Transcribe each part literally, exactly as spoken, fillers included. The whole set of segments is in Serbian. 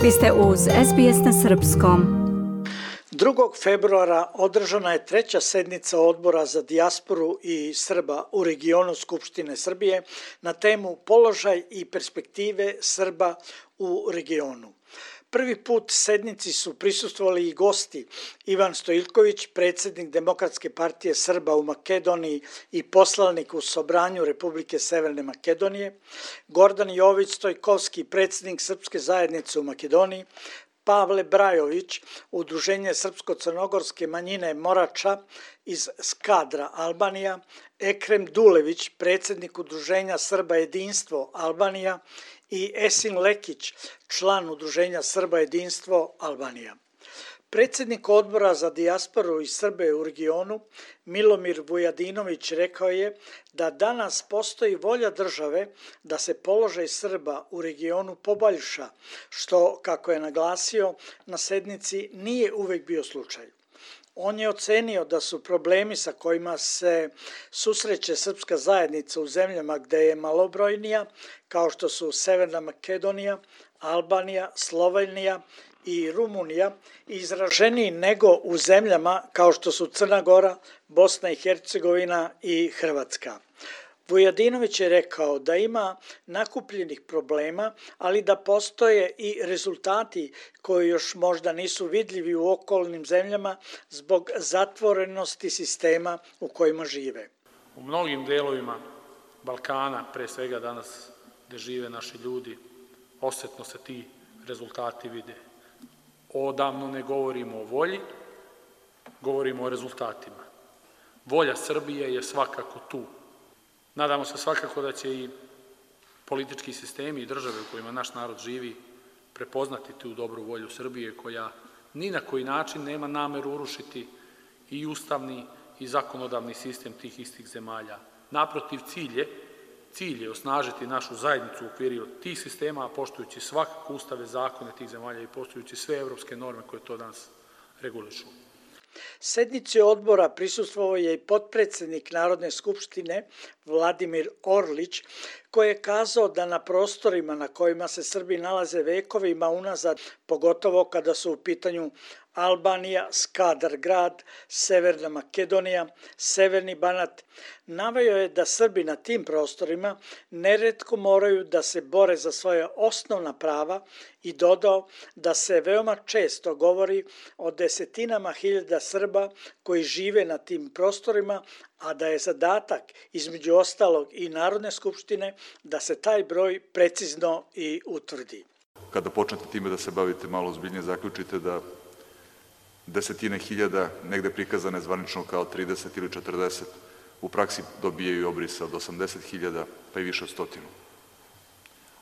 Vi ste uz S B S na srpskom. drugog februara održana je treća sednica Odbora za dijasporu i Srba u regionu Skupštine Srbije na temu Položaj i perspektive Srba u regionu. Prvi put sednici su prisustvovali i gosti Ivan Stojiljković, predsjednik Demokratske partije Srba u Makedoniji i poslanik u Sobranju Republike Severne Makedonije, Gordan Jović Stojkovski, predsjednik Srpske zajednice u Makedoniji, Pavle Brajović, Udruženje srpsko-crnogorske manjine Morača iz Skadra, Albanija, Ekrem Dulević, predsjednik Udruženja Srba jedinstvo Albanija i Esin Lekić, član Udruženja Srba jedinstvo Albanija. Predsjednik Odbora za dijasporu i Srbe u regionu, Milomir Vujadinović, rekao je da danas postoji volja države da se položaj Srba u regionu poboljša, što, kako je naglasio, na sednici nije uvek bio slučaj. On je ocenio da su problemi sa kojima se susreće srpska zajednica u zemljama gde je malobrojnija, kao što su Severna Makedonija, Albanija, Slovenija i Rumunija, izraženiji nego u zemljama kao što su Crna Gora, Bosna i Hercegovina i Hrvatska. Vujadinović je rekao da ima nakupljenih problema, ali da postoje i rezultati koji još možda nisu vidljivi u okolnim zemljama zbog zatvorenosti sistema u kojima žive. U mnogim delovima Balkana, pre svega danas gde žive naši ljudi, osetno se ti rezultati vide. Odavno ne govorimo o volji, govorimo o rezultatima. Volja Srbije je svakako tu. Nadamo se svakako da će i politički sistemi i države u kojima naš narod živi prepoznati tu dobru volju Srbije, koja ni na koji način nema nameru urušiti i ustavni i zakonodavni sistem tih istih zemalja. Naprotiv, cilj je, cilj je osnažiti našu zajednicu u okviru tih sistema, poštujući svakako ustave, zakone tih zemalja i poštujući sve evropske norme koje to danas regulišu. Sednici odbora prisustvovao je i potpredsjednik Narodne skupštine Vladimir Orlić, koji je kazao da na prostorima na kojima se Srbi nalaze vekovima unazad, pogotovo kada su u pitanju Albanija, Skadar grad, Severna Makedonija, Severni Banat, naveo je da Srbi na tim prostorima neretko moraju da se bore za svoje osnovna prava i dodao da se veoma često govori o desetinama hiljada Srba koji žive na tim prostorima, a da je zadatak, između ostalog i Narodne skupštine, da se taj broj precizno i utvrdi. Kada počnete time da se bavite malo ozbiljnije, zaključite da desetine hiljada, negde prikazane zvanično kao trideset ili četrdeset, u praksi dobijaju obrisa od osamdeset hiljada pa i više od stotinu.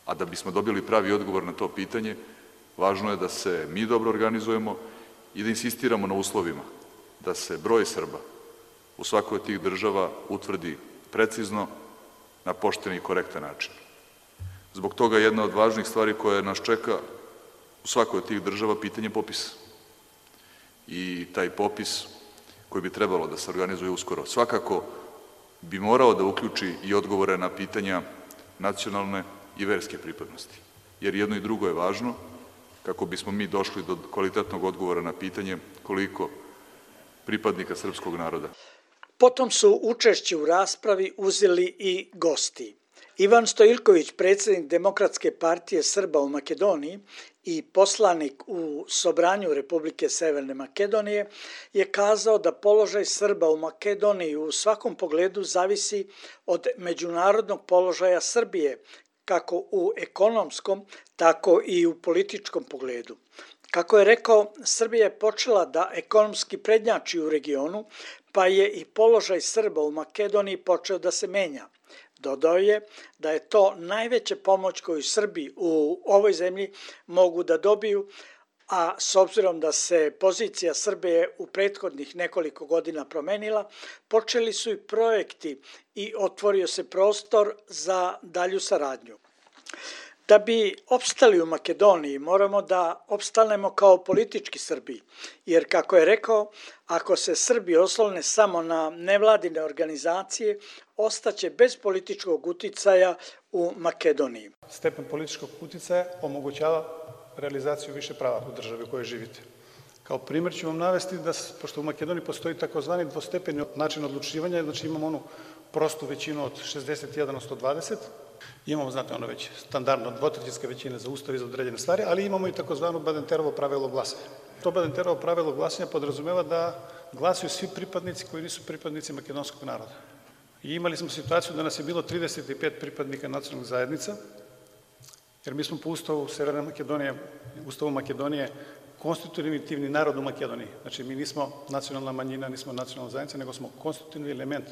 A da bismo dobili pravi odgovor na to pitanje, važno je da se mi dobro organizujemo i da insistiramo na uslovima, da se broj Srba u svakoj od tih država utvrdi precizno, na pošten i korektan način. Zbog toga jedna od važnih stvari koja nas čeka u svakoj od tih država pitanje popisa. I taj popis koji bi trebalo da se organizuje uskoro svakako bi morao da uključi i odgovore na pitanja nacionalne i verske pripadnosti. Jer jedno i drugo je važno kako bismo mi došli do kvalitetnog odgovora na pitanje koliko pripadnika srpskog naroda. Potom su učešće u raspravi uzeli i gosti. Ivan Stojiljković, predsjednik Demokratske partije Srba u Makedoniji i poslanik u Sobranju Republike Severne Makedonije, je kazao da položaj Srba u Makedoniji u svakom pogledu zavisi od međunarodnog položaja Srbije, kako u ekonomskom, tako i u političkom pogledu. Kako je rekao, Srbija je počela da ekonomski prednjači u regionu, pa je i položaj Srba u Makedoniji počeo da se menja. Dodao je da je to najveća pomoć koju Srbi u ovoj zemlji mogu da dobiju, a s obzirom da se pozicija Srbije u prethodnih nekoliko godina promenila, počeli su i projekti i otvorio se prostor za dalju saradnju. Da bi opstali u Makedoniji, moramo da opstanemo kao politički Srbi, jer, kako je rekao, ako se Srbi oslone samo na nevladine organizacije, ostaće bez političkog uticaja u Makedoniji. Stepen političkog uticaja omogućava realizaciju više prava u državi u kojoj živite. Kao primjer ću vam navesti da, pošto u Makedoniji postoji takozvani dvostepeni način odlučivanja, znači imamo onu prostu većinu od šezdeset jedan od sto dvadeset, imamo, znate, ono već standardno dvotrećinske većine za ustav i za određene stvari, ali imamo i takozvano Badenterovo pravilo glasanja. To Badenterovo pravilo glasanja podrazumeva da glasuju svi pripadnici koji nisu pripadnici makedonskog naroda. I imali smo situaciju da nas je bilo trideset pet pripadnika nacionalnih zajednica, jer mi smo po ustavu Severne Makedonije, ustavu Makedonije, konstitutivni narod u Makedoniji. Znači, mi nismo nacionalna manjina, nismo nacionalna zajednica, nego smo konstitutivni element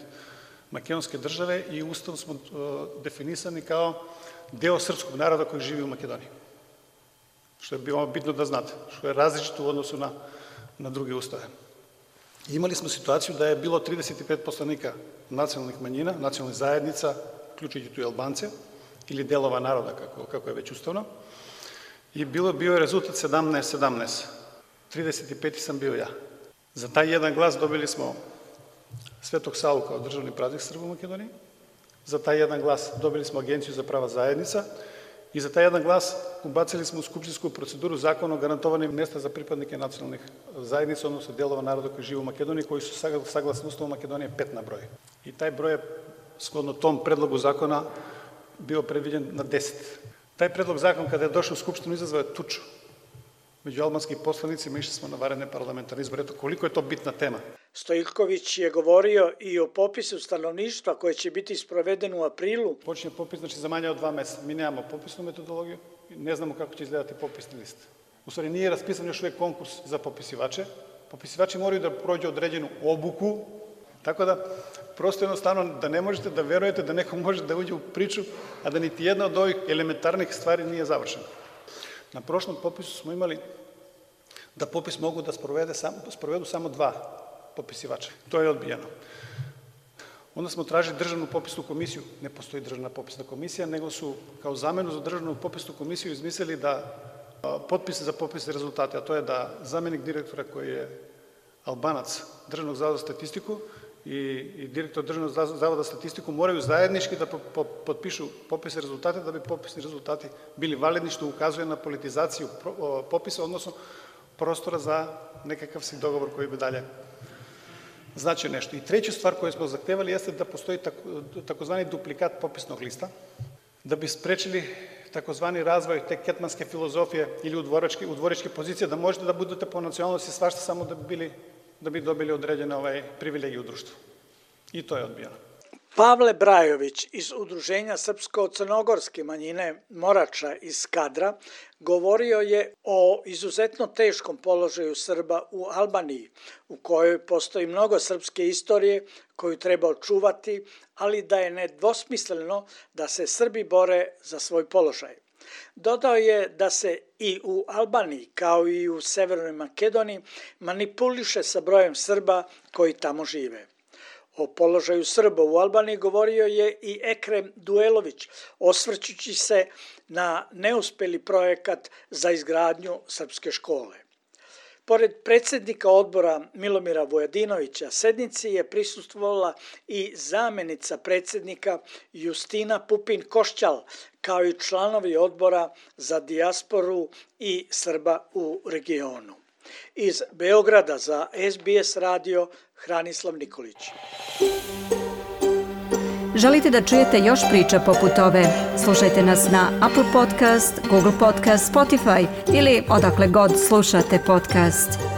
makedonske države i ustavom smo uh, definisani kao deo srpskog naroda koji živi u Makedoniji. Što je bilo bitno da znate, što je različito u odnosu na, na druge ustave. Imali smo situaciju da je bilo trideset pet poslanika nacionalnih manjina, nacionalnih zajednica, uključujući tu i Albance, ili delova naroda, kako, kako je već ustavno, i bilo, bio je rezultat sedamnaest sedamnaest. trideset peti sam bio ja. Za taj jedan glas dobili smo Svetog Savu kao državni praznik Srba u Makedoniji, za taj jedan glas dobili smo Agenciju za prava zajednica i za taj jedan glas ubacili smo u skupštinsku proceduru zakon o garantovanim mjesta za pripadnike nacionalnih zajednica, odnosno delova naroda koji žive u Makedoniji, koji su saglasni Ustavu Makedonije pet na broj. I taj broj je, shodno tom predlogu zakona, bio predviđen na deset. Taj predlog zakon, kada je došao u Skupštinu, izazvao je tuču među albanskim poslanicima, išli smo na vanredne parlamentarne izbore. Eto, koliko je to bitna tema. Stojiljković je govorio i o popisu stanovništva koje će biti sproveden u aprilu. Počinje popis, znači za manje od dva meseca. Mi nemamo popisnu metodologiju, ne znamo kako će izgledati popisni list. U stvari nije raspisan još uvijek konkurs za popisivače. Popisivači moraju da prođu određenu obuku, tako da prosto jednostavno da ne možete da verujete da neko može da uđe u priču, a da niti jedna od ovih elementarnih stvari nije završena. Na prošlom popisu smo imali da popis mogu da sprovede sam, sprovedu samo dva popisivača. To je odbijeno. Onda smo tražili državnu popisnu komisiju. Ne postoji državna popisna komisija, nego su kao zamenu za državnu popisnu komisiju izmislili da potpise za popis rezultate, a to je da zamenik direktora koji je Albanac Državnog zavoda za statistiku i, i direktor Državnog zavoda za statistiku moraju zajednički da po, po, potpišu popise rezultate da bi popisni rezultati bili validni, što ukazuje na politizaciju pro, popisa, odnosno prostora za nekakav si dogovor koji bi dalje značio nešto. I treću stvar koju smo zahtevali jeste da postoji tako, takozvani duplikat popisnog lista, da bi sprečili takozvani razvoj te ketmanske filozofije ili udvoričke, udvoričke pozicije, da možete da budete po nacionalnosti svašta samo da bi, bili, da bi dobili određene ovaj, privilegije u društvu. I to je odbijeno. Pavle Brajović iz Udruženja srpsko-crnogorske manjine Morača iz Skadra govorio je o izuzetno teškom položaju Srba u Albaniji, u kojoj postoji mnogo srpske istorije koju treba očuvati, ali da je nedvosmisleno da se Srbi bore za svoj položaj. Dodao je da se i u Albaniji, kao i u Severnoj Makedoniji, manipuliše sa brojem Srba koji tamo žive. O položaju Srba u Albaniji govorio je i Ekrem Duelović, osvrćući se na neuspeli projekat za izgradnju srpske škole. Pored predsjednika odbora Milomira Vujadinovića, sednici je prisustvovala i zamenica predsjednika Justina Pupin-Košćal, kao i članovi odbora za dijasporu i Srba u regionu. Iz Beograda za S B S radio, Hranislav Nikolić. Želite da čujete još priča poput ove? Slušajte nas na Apple Podcast, Google Podcast, Spotify ili odakle god slušate podcast.